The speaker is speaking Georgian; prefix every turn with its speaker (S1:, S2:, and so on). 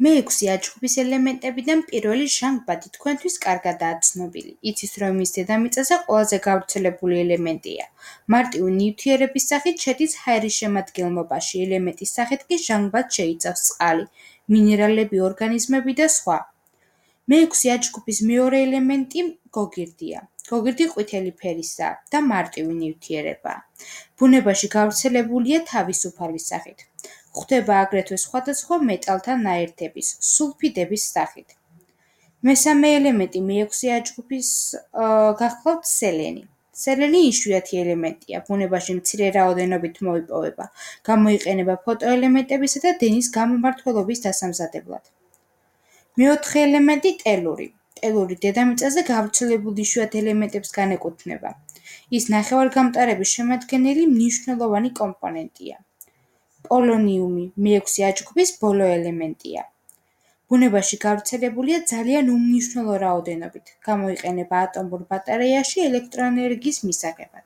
S1: მეექვსე აჯგუფის ელემენტებიდან პირველი ჟანგბადი თქვენთვის კარგადაა ცნობილი. იცის, რომ მის დედამიწაზე ყველაზე გავრცელებული ელემენტია. მარტივი ნივთიერების სახით შედის ჰაერის შემადგენლობაში, ელემენტის სახით კი ჟანგბადს შეიცავს წყალი, მინერალები, ორგანიზმები და სხვა. მეექვსე აჯგუფის მეორე ელემენტი გოგირდია. გოგირდი ყვითელი ფერისაა და მარტივი ნივთიერებაა. ბუნებაში გავრცელებულია თავისუფალი სახით. გვხვდება აგრეთვე სხვადასხვა მეტალთა ნაერთების, სულფიდების სახით. მესამე ელემენტი მეექვსე აჯგუფის გახლავთ სელენი. სელენი იშვიათი ელემენტია, ბუნებაში მცირე რაოდენობით მოიპოვება, გამოიყენება ფოტოელემენტებისა და დენის გამომმართველობის დასამზადებლად. მეოთხე ელემენტი ტელური. ტელური დედამიწაზე გავრცელებულ იშვიათ ელემენტებს განეკუთვნება. ის ნახევარგამტარების შემადგენელი მნიშვნელოვანი კომპონენტია. პოლონიუმი მეექვსე აჯგუფის ბოლო ელემენტია. ბუნებაში გავრცელებულია ძალიან უმნიშვნელო რაოდენობით, გამოიყენება ატომურ ბატარეიაში ელექტროენერგიის მისაღებად.